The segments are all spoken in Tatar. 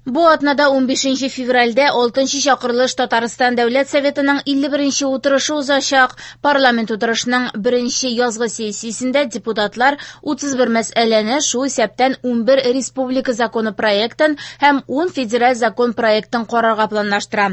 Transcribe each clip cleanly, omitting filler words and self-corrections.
Бу атнада 15 февральдә 6 чакырылыш Татарстан Дәүләт Советының 51 утырышы узачак. Парламент утырышының беренче язгы сессиясендә депутатлар 31 мәсьәләне, шул исәптән 11 республика законы проектын һәм 10 федераль закон проектын карарга планлаштыра.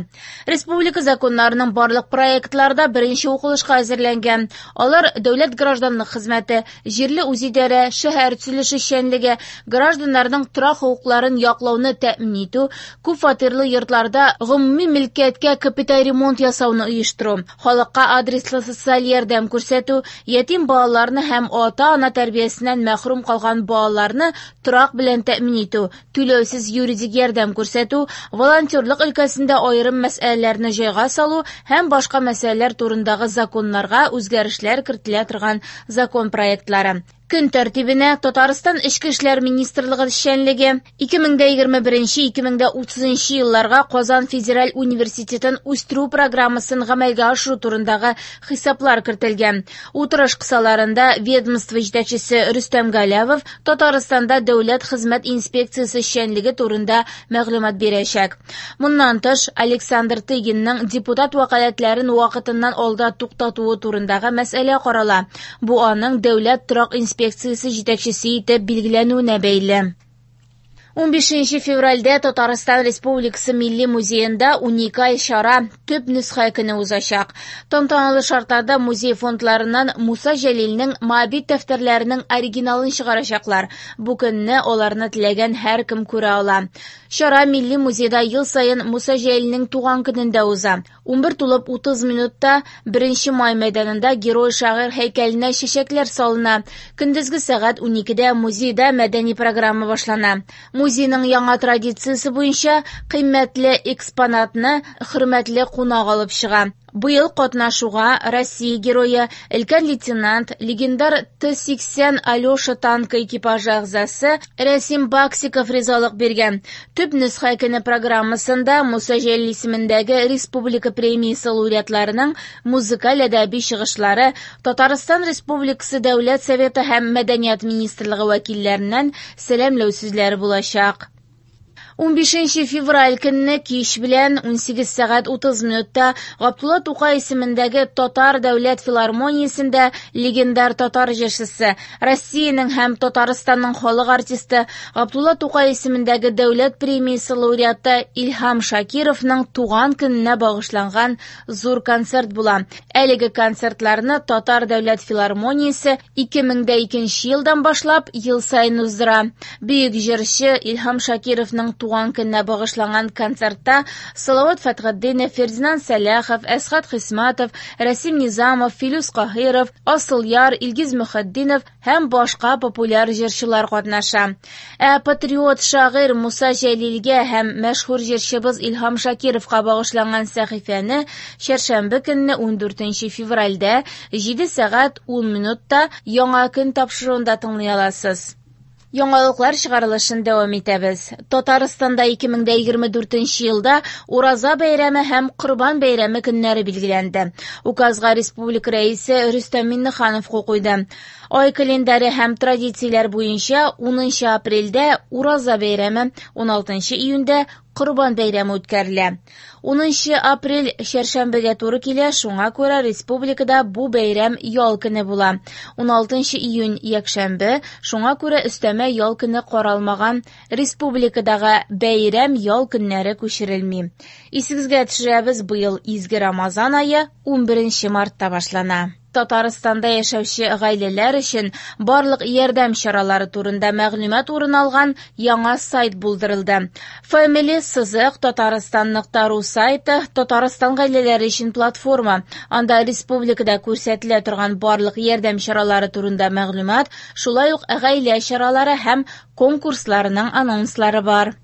Республика законнарының барлык проектлары да беренче укылышка әзерләнгән. Алар дәүләт гражданлык хезмәте, җирле үзидарә, шәһәр төзелеше эшчәнлеге, гражданнарның торак хокукларын яклауны тәэмин итү, күп фатирлы йортларда гомуми мөлкәткә капиталь ремонт ясауны оештыру, халыкка адреслы социаль ярдәм күрсәтү, ятим балаларны һәм ата-ана тәрбиясеннән мәхрүм калган балаларны торак белән тәэмин итү, түләүсез юридик ярдәм күрсәтү, волонтерлык өлкәсендә аерым мәсьәләләрне җайга салу һәм башка мәсьәләләр турындагы законнарга үзгәрешләр кертелә торган закон проектлары. Көн тәртибенә Татарстан Эчке эшләр министрлыгы эшчәнлеге, 2021-2030 елларга Казан федераль университетын үстерү программасын гамәлгә ашыру турындагы хисаплар кертелгән. Утырыш кысаларында ведомство җитәкчесе Рөстәм Галәвов Татарстанда дәүләт хезмәт инспекциясе эшчәнлеге турында мәгълүмат бирәчәк. Моннан тыш, Александр Тыгинның депутат вәкаләтләрен вакытыннан алда туктатуы турындагы мәсьәлә карала. Бу аның дәүләт торак инспекциясе җитәкчесе итеп билгеләнүенә бәйле. 15 февральдә Татарстан Республикасы Милли музеенда уникаль чара Төп нөсхә көне узачак. Тантаналы шартларда музей фондларыннан Муса Җәлилнең Моабит дәфтәрләренең оригиналын чыгарачаклар. Бу көнне аларны теләгән һәркем күрә ала. Чара Милли музейда ел саен Муса Җәлилнең туган көнендә уза. 11 тулып 30 минутта 1 май мәйданында герой-шагыйрь һәйкәленә чәчәкләр салына. Көндезге сәгать 12дә музейда мәдәни программа башлана. Музейның яңа традициясе буенча кыйммәтле экспонатны хөрмәтле кунак алып чыга. Быел катнашуга Россия герое, өлкән лейтенант, легендар Т-80 Алеша танкы экипажы әгъзасы Рәсим Баксиков ризалык биргән. Төп нөсхә көне программасында Муса Җәлил исемендәге республика премиясе лауреатларының музыкаль әдәби чыгышлары, Татарстан Республикасы Дәүләт Советы һәм Мәдәният министрлыгы вәкилләреннән сәламләү сүзләре булачак. 15 февраль көнне кич белән 18 сәгать 30 минутта Габдулла Тукай исемендәге Татар дәүләт филармониясендә легендар татар җырчысы, Россиянең һәм Татарстанның халык артисты, Габдулла Тукай исемендәге дәүләт премиясе лауреаты Илһам Шакировның туган көненә багышланган зур концерт була. Әлеге концертларны Татар дәүләт филармониясе 2002 елдан башлап ел саен уздыра. Бөек җырчы Илһам Шакировның туган көненә багышланган концертта Салават Фәтхетдинов, Фердинанд Сәлахов, Әсхәт Хисматов, Рәсим Низамов, Филүс Каһиров, Асылъяр, Илгиз Мөхетдинов һәм башка популяр җырчылар катнаша. Ә патриот шагыйрь Муса Җәлилгә һәм мәшһүр җырчыбыз Илһам Шакировка багышланган сәхифәне чәршәмбе көнне 14 февральдә 7 сәгать 10 минутта Яңа көн тапшыруында тыңлый аласыз. Яңалыклар чыгарылышын дәвам итәбез. Татарстанда 2024 елда Ураза бәйрәме һәм Корбан бәйрәме көннәре билгеләнде. Указга республика рәисе Рөстәм Миңнеханов кул куйды. Ай календаре һәм традицияләр буенча 10 апрельдә Ураза бәйрәме, 16 июньдә Корбан бәйрәме үткәрелә. 10 апрель чәршәмбегә туры килә, шуңа күрә республикада бу бәйрәм ял көне була. 16 июнь якшәмбе, шуңа күрә өстәмә ял көне каралмаган. Республикадагы бәйрәм ял көннәре күчерелми. Исегезгә төшерәбез, быел изге Рамазан ае 11 мартта башлана. Татарстанда яшәүче гаиләләр өчен барлык ярдәм чаралары турында мәгълүмат урын алган яңа сайт булдырылды. Family сызык Татарстан.ру сайты Татарстан гаиләләре өчен платформа. Анда республикада күрсәтелә торган барлык ярдәм чаралары турында мәгълүмат, шулай ук гаилә чаралары һәм конкурсларының анонслары бар.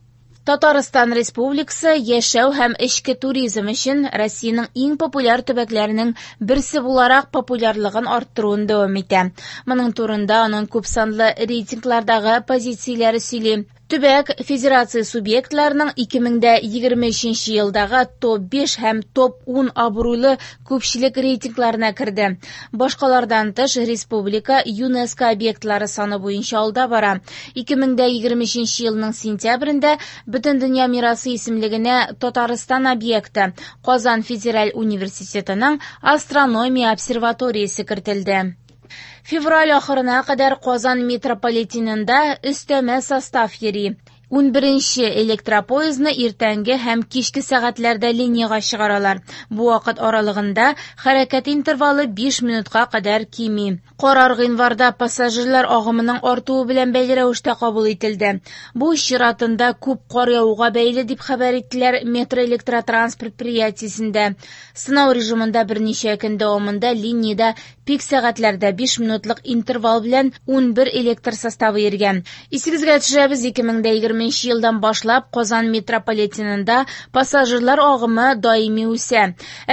Татарстан Республикасы яшәү һәм эчке туризм өчен Россиянең иң популяр төбәкләренең берсе буларак популярлыгын арттыруын дәвам итә. Моның турында аның күпсанлы рейтинглардагы позицияләре сөйли. Төбәк федерация субъектларының 2023 елдагы топ-5 һәм топ-10 абруйлы күпчелек рейтингларына керде. Башкалардан тыш, республика ЮНЕСКО объектлары саны буенча алда бара. 2023 елның сентябрендә Бөтендөнья мирасы исемлегенә Татарстан объекты Казан федераль университетының астрономия обсерваториясе кертелде. Февраль ахырына кадәр Казан метрополитенында өстәмә состав йөри. 11нче электропоездны иртәнге һәм кичке сәгатьләрдә линиягә чыгаралар. Бу вакыт аралыгында хәрәкәт интервалы 5 минутка кадәр кими. Карар гыйнварда пассажирлар агымының артуы белән бәйле рәвештә кабул ителде. Бу чиратында күп кар явуга бәйле дип хәбәр иттеләр метроэлектротранс предприятиесендә. Сынау режимында берничә көн дәвамында линиядә пик сәгатьләрдә 5 минутлык интервал белән 11 электр составы йөргән. Исегезгә төшерәбез, 2020 елдан башлап Казан метрополитенында пассажирлар агымы даими үсә.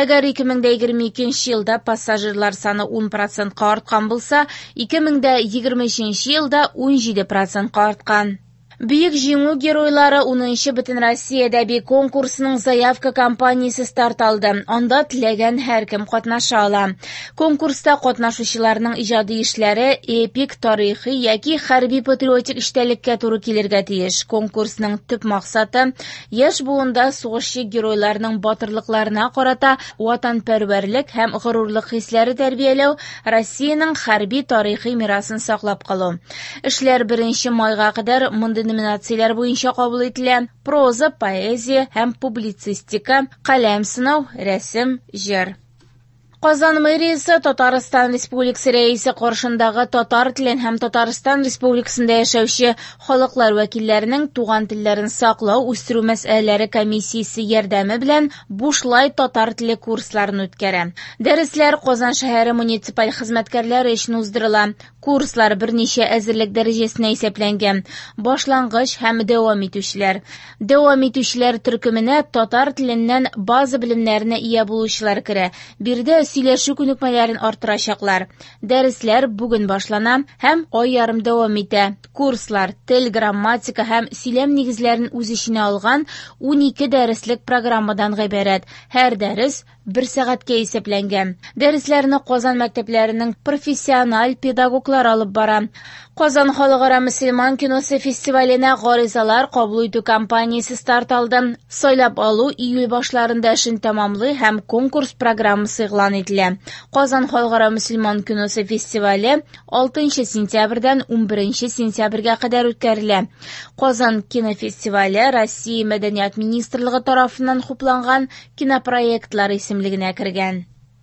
Әгәр 2022 елда пассажирлар саны 10%-ка арткан булса, 2023 елда 17%-ка арткан. Бөек Җиңү геройлары 10нчы Бөтенроссия әдәби конкурсының заявка кампаниясе старт алды. Анда теләгән һәркем катнаша ала. Конкурста катнашучыларның иҗади эшләре эпик, тарихи яки хәрби-патриотик эчтәлеккә туры килергә тиеш. Конкурсның төп максаты яшь буында сугышчы геройларның батырлыкларына карата ватанпәрвәрлек һәм горурлык хисләре тәрбияләү, Россиянең хәрби тарихи мирасын саклап калу. Эшләр 1 майга кадәр мондый номинацияләр буенча кабул ителә: проза, поэзия һәм публицистика, каләм сынау, рәсем, җыр. Казан мэриясе Татарстан Республикасы Рәисе каршындагы татар телен һәм Татарстан Республикасында яшәүче халыклар вәкилләренең туган телләрен саклау, үстерү мәсьәләләре комиссиясе ярдәме белән бушлай татар теле курсларын үткәрә. Дәресләр Казан шәһәре муниципаль хезмәткәрләре өчен уздырыла. Курслар берничә әзерлек дәрәҗәсенә исәпләнгән: башлангыч һәм дәвам итүчеләр. Дәвам итүчеләр төркеменә татар теленнән база белемнәренә ия булучылар керә. Биредә сөйләшү күнекмәләрен арттырачаклар. Дәресләр бүген башлана һәм ай ярым дәвам итә. Курслар тел, грамматика һәм сөйләм нигезләрен үз эченә алган 12 дәреслек программадан гыйбарәт. Һәр дәрес бер сәгатькә исәпләнгән. Дәресләрне Казан мәктәпләренең профессиональ педагоглары алып бара. Казан халыкара мөселман киносы фестиваленә гаризалар кабул итү кампаниясе старт алды. Сайлап алу июль башларында эшен тәмамлый һәм конкурс программасы игълан ителә. Казан халыкара мөселман киносы фестивале 6 сентябрьдән 11 сентябрьгә кадәр үткәрелә. Казан кинофестивале Россия Мәдәният министрлыгы тарафыннан хупланган кинопроектлар исемлегенә кергән.